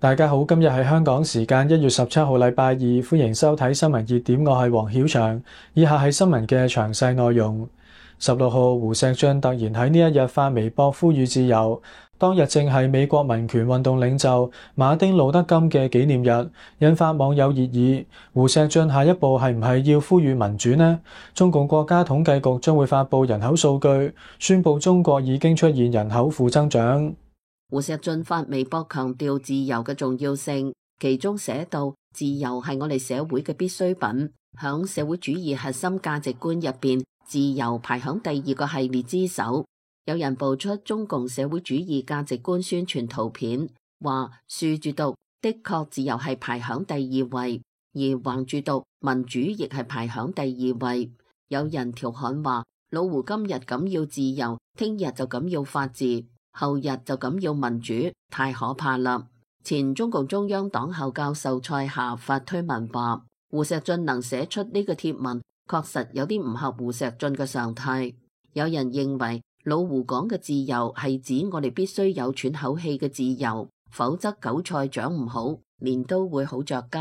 大家好，今日係香港時間1月17號禮拜二，歡迎收睇新聞熱點，我係黃曉翔。以下係新聞嘅詳細內容。16號，胡錫進突然喺呢一日發微博呼籲自由，當日正係美國民權運動領袖馬丁路德金嘅紀念日，引發網友熱議。胡錫進下一步係唔係要呼籲民主呢？中共國家統計局將會發布人口數據，宣布中國已經出現人口負增長。胡錫進發微博強調自由嘅重要性，其中寫道：自由係我哋社會嘅必需品。響社會主義核心價值觀入邊，自由排響第二個系列之首。有人爆出中共社會主義價值觀宣傳圖片，話豎住讀的確自由係排響第二位，而橫住讀民主亦係排響第二位。有人調侃話：老胡今日咁要自由，聽日就咁要法治，後日就咁要民主，太可怕啦！前中共中央黨校教授蔡霞發推文話：胡錫進能寫出呢個貼文，確實有啲唔合胡錫進嘅常態。有人認為老胡講嘅自由係指我哋必須有喘口氣嘅自由，否則韭菜長唔好，鐮刀會好着急。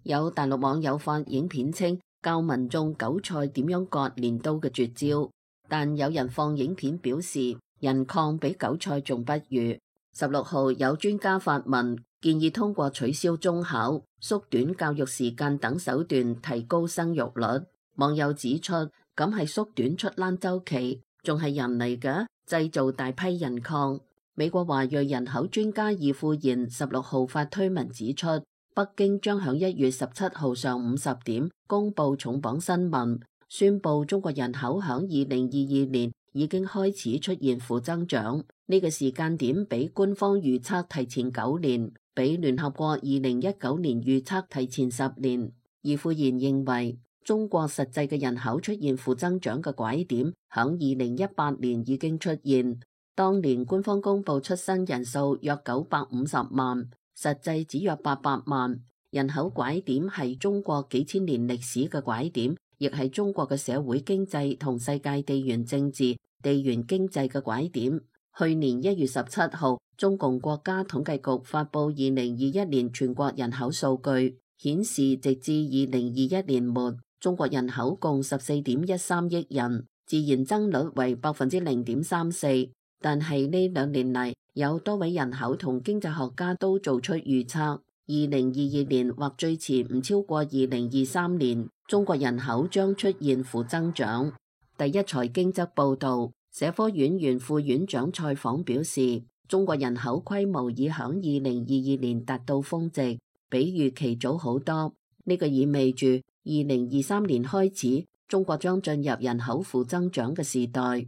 有大陸網友發影片稱教民眾韭菜點樣割鐮刀嘅絕招，但有人放影片表示人抗比韭菜仲不如。16號，有專家發文建議通過取消中考、縮短教育時間等手段提高生育率。網友指出，咁係縮短出欄周期，仲係人嚟嘅，製造大批人抗。美國華裔人口專家易富賢16號發推文指出，北京將響1月17號上午10點公布重磅新聞，宣布中國人口響2022年已經開始出現負增長，呢個時間點比官方預測提前9年，比聯合國2019年預測提前10年。易富賢認為，中國實際嘅人口出現負增長嘅拐點，響2018年已經出現。當年官方公布出生人數約950萬，實際只約800萬。人口拐點係中國幾千年歷史嘅拐點，亦係中國嘅社會經濟同世界地緣政治、地緣經濟嘅拐點。去年1月17號，中共國家統計局發布2021年全國人口數據，顯示直至2021年末，中國人口共14.13億人，自然增率為0.34%。但係呢2年嚟，有多位人口同經濟學家都做出預測，2022年或最遲唔超過2023年，中國人口將出現負增長。第一財經則報道，社科院原副院長蔡昉表示，中國人口規模已響2022年達到峰值，比預期早好多。呢個意味住2023年開始，中國將進入人口負增長嘅時代。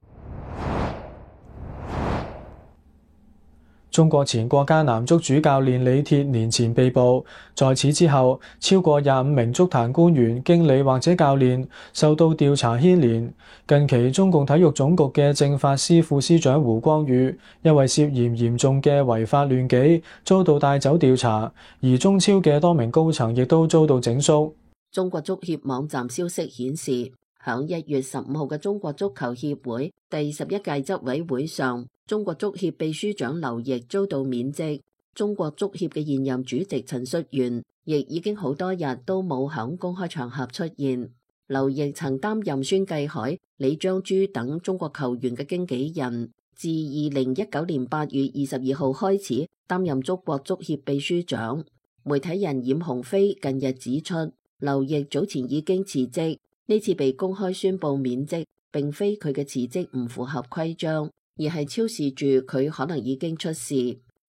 中國前國家男足主教練李鐵年前被捕，在此之後，超過25名足壇官員、經理或者教練受到調查牽連。近期，中共體育總局嘅政法司副司長胡光宇因為涉嫌嚴重嘅違法亂紀，遭到帶走調查，而中超嘅多名高層亦都遭到整肅。中國足協網站消息顯示，響1月15號嘅中國足球協會第11屆執委會上，中國足協秘書長劉奕遭到免職。中國足協嘅現任主席陳戌源亦已經好多日都冇響公開場合出現。劉奕曾擔任孫繼海、李章洙等中國球員嘅經紀人，自2019年8月22號開始擔任中國足協秘書長。媒體人冉鴻飛近日指出，劉奕早前已經辭職，呢次被公開宣布免職，並非佢嘅辭職唔符合規章，而係昭示住佢可能已經出事。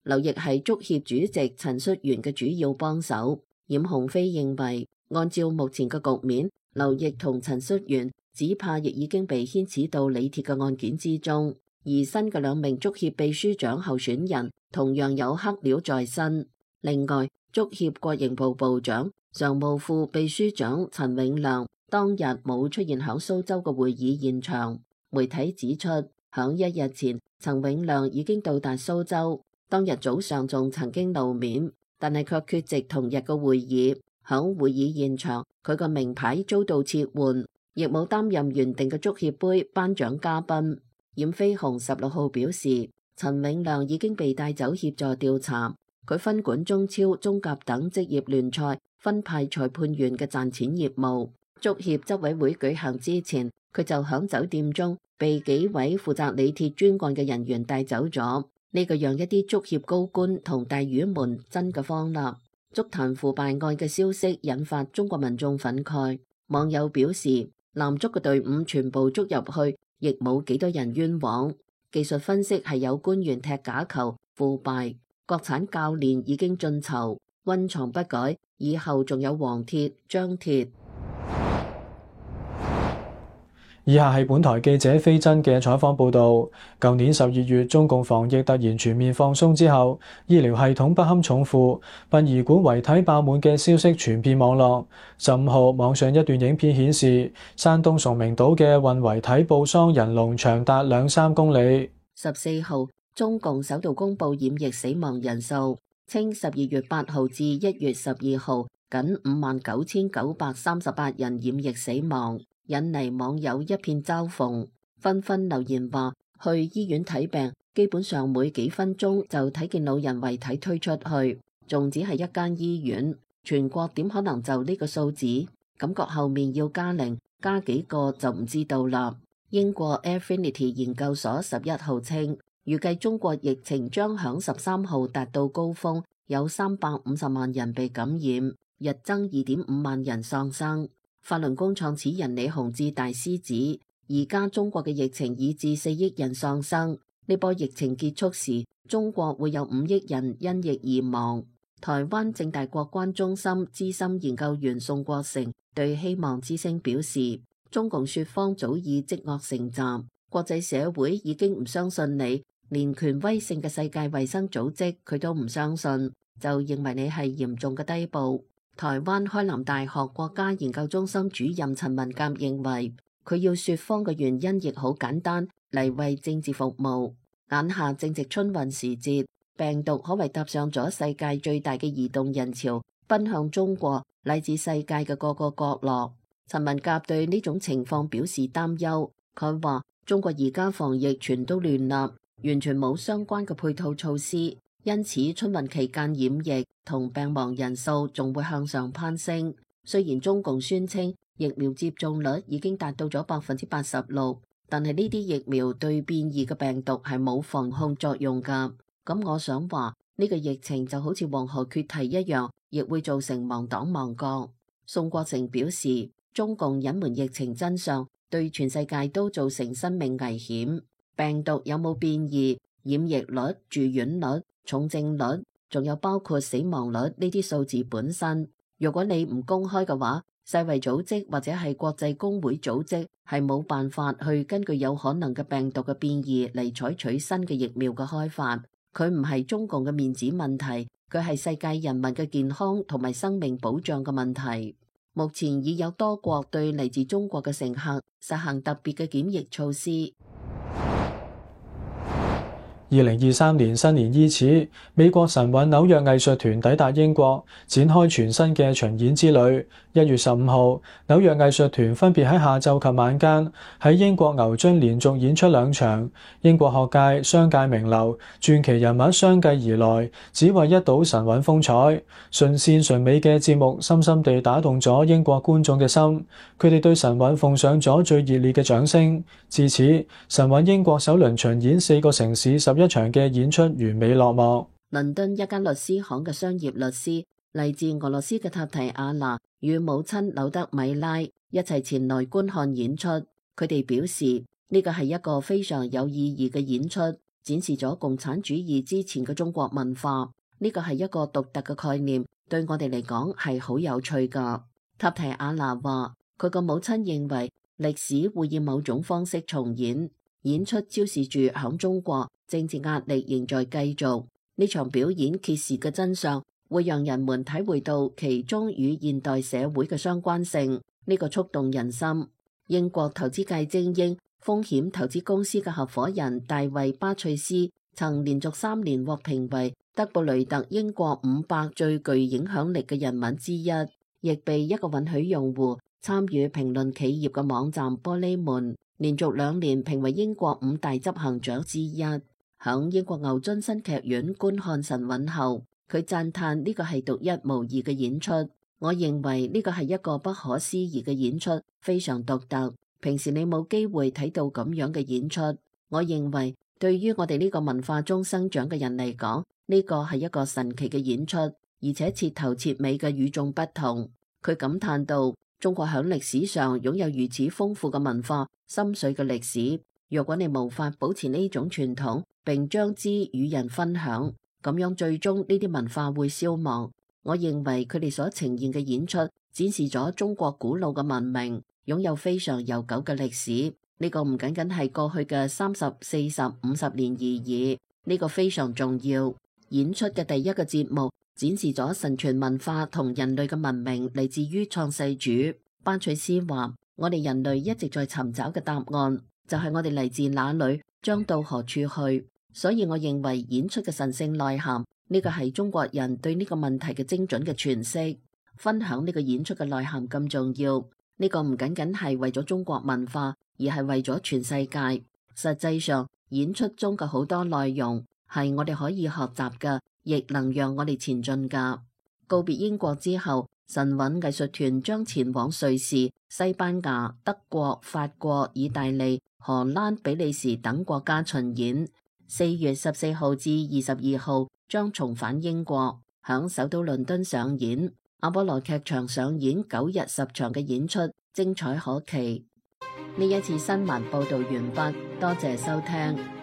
劉奕係足協主席陳戌源嘅主要幫手。冉鴻飛認為，按照目前嘅局面，劉奕同陳戌源只怕亦已經被牽扯到李鐵嘅案件之中，而新嘅2名足協秘書長候選人同樣有黑料在身。另外，足協國營部部長、常務副秘書長陳永亮當日冇出現響蘇州嘅會議現場。媒體指出，響1日前，陳永亮已經到達蘇州，當日早上仲曾經露面，但係卻缺席同日嘅會議。響會議現場，佢個名牌遭到撤換，亦冇擔任原定嘅足協杯頒獎嘉賓。冉飛鴻16號表示，陳永亮已經被帶走協助調查，佢分管中超、中甲等職業聯賽分派裁判員嘅賺錢業務。足協執委會舉行之前，佢就響酒店中被幾位負責李鐵專案嘅人員帶走咗。呢個讓一啲足協高官同大魚們真嘅慌啦。足壇腐敗案嘅消息引發中國民眾憤慨，網友表示男足嘅隊伍全部捉入去，亦冇幾多人冤枉。技術分析係有官員踢假球腐敗，國產教練已經進囚，溫床不改，以後仲有黃鐵、張鐵。以下係本台記者飛真嘅採訪報導。舊年12月，中共防疫突然全面放鬆之後，醫療系統不堪重負，殯儀館遺體爆滿嘅消息傳遍網絡。15號，網上一段影片顯示，山東崇明島嘅運遺體報喪人龍長達2-3公里。14號，中共首度公布染疫死亡人數，稱12月8號至1月12號，僅59,938人染疫死亡。引嚟網友一片嘲諷，紛紛留言話去醫院睇病，基本上每幾分鐘就睇見老人遺體推出去，仲只係一間醫院，全國點可能就呢個數字？感覺後面要加零，加幾個就唔知道啦。英國 Affinity 研究所11號稱，預計中國疫情將響13號達到高峰，有350萬人被感染，日增2.5萬人喪生。法輪功創始人李洪志大師指，而家中國嘅疫情已致4億人喪生，呢波疫情結束時，中國會有5億人因疫而亡。台灣政大國關中心資深研究員宋國成對希望之聲表示，中共說謊早已積惡成習，國際社會已經唔相信你，連權威性嘅世界衛生組織佢都唔相信，就認為你係嚴重嘅低步。台灣開南大學國家研究中心主任陳文甲認為，佢要說謊嘅原因亦好簡單，嚟為政治服務。眼下正值春運時節，病毒可謂搭上咗世界最大嘅移動人潮，奔向中國乃至世界嘅各個角落。陳文甲對呢種情況表示擔憂，佢話中國而家防疫全都亂啦，完全冇相關嘅配套措施。因此，春運期間染疫同病亡人數仲會向上攀升。雖然中共宣稱疫苗接種率已經達到咗86%，但係呢啲疫苗對變異嘅病毒係冇防控作用㗎。咁我想話呢個疫情就好似黃河決堤一樣，亦會造成亡黨亡國。宋國成表示，中共隱瞞疫情真相，對全世界都造成生命危險。病毒有冇變異、染疫率、住院率、重症率，仲有包括死亡率呢啲數字本身，如果你唔公開嘅話，世衛組織或者係國際公會組織係冇辦法去根據有可能嘅病毒嘅變異嚟採取新嘅疫苗嘅開發。佢唔係中共嘅面子問題，佢係世界人民嘅健康同埋生命保障嘅問題。目前已有多國對嚟自中國嘅乘客實行特別嘅檢疫措施。2023年新年伊始，美國神韻紐約藝術團抵達英國，展開全新嘅巡演之旅。1月15號，紐約藝術團分別喺下晝及晚間喺英國牛津連續演出2場。英國學界、商界名流、傳奇人物相繼而來，只為一睹神韻風采。純善純美嘅節目深深地打動咗英國觀眾嘅心，佢哋對神韻奉上咗最熱烈嘅掌聲。至此，神韻英國首輪巡演4個城市11場嘅演出完美落幕。倫敦一間律師行嘅商業律師，嚟自俄羅斯嘅塔提亞娜與母親柳德米拉一齊前來觀看演出。佢哋表示呢個係一個非常有意義嘅演出，展示咗共產主義之前嘅中國文化。呢個係一個獨特嘅概念，對我哋嚟講係好有趣噶。塔提亞娜話，佢個母親認為歷史會以某種方式重演，演出昭示住響中國政治壓力仍在繼續。呢場表演揭示嘅真相，會讓人們體會到其中與現代社會嘅相關性，呢個觸動人心。英國投資界精英、風險投資公司嘅合夥人大衛巴翠斯曾連續3年獲評為德布雷特英國500最具影響力嘅人物之一，亦被一個允許用戶參與評論企業嘅網站玻璃門連續2年評為英國5大執行長之一。響英國牛津新劇院觀看神韻後，佢讚嘆呢個係獨一無二嘅演出。我認為呢個係一個不可思議嘅演出，非常獨特。平時你冇機會睇到咁樣嘅演出。我認為對於我哋呢個文化中生長嘅人嚟講，呢個係一個神奇嘅演出，而且徹頭徹尾嘅與眾不同。佢感嘆道：中國響歷史上擁有如此豐富嘅文化、深邃嘅歷史。若果你無法保持呢種傳統，並將之與人分享，咁樣最終呢啲文化會消亡。我認為佢哋所呈現嘅演出展示咗中國古老嘅文明，擁有非常悠久嘅歷史。呢個唔僅僅係過去嘅30、40、50年而已，呢個非常重要。演出嘅第一個節目展示咗神傳文化同人類嘅文明嚟自於創世主。班翠斯話：我哋人類一直在尋找嘅答案，就係我哋嚟自哪裏，將到何處去。所以我認為演出嘅神聖內涵，呢個係中國人對呢個問題嘅精準嘅詮釋。分享呢個演出嘅內涵咁重要，呢個唔僅僅係為咗中國文化，而係為咗全世界。實際上，演出中嘅好多內容係我哋可以學習嘅，亦能讓我哋前進噶。告別英國之後，神韻藝術團將前往瑞士、西班牙、德國、法國、意大利、荷蘭、比利時等國家巡演。4月14號至22號將重返英國，響首都倫敦上演。阿波羅劇場上演9日10場嘅演出，精彩可期。呢一次新聞報道完畢，多謝收聽。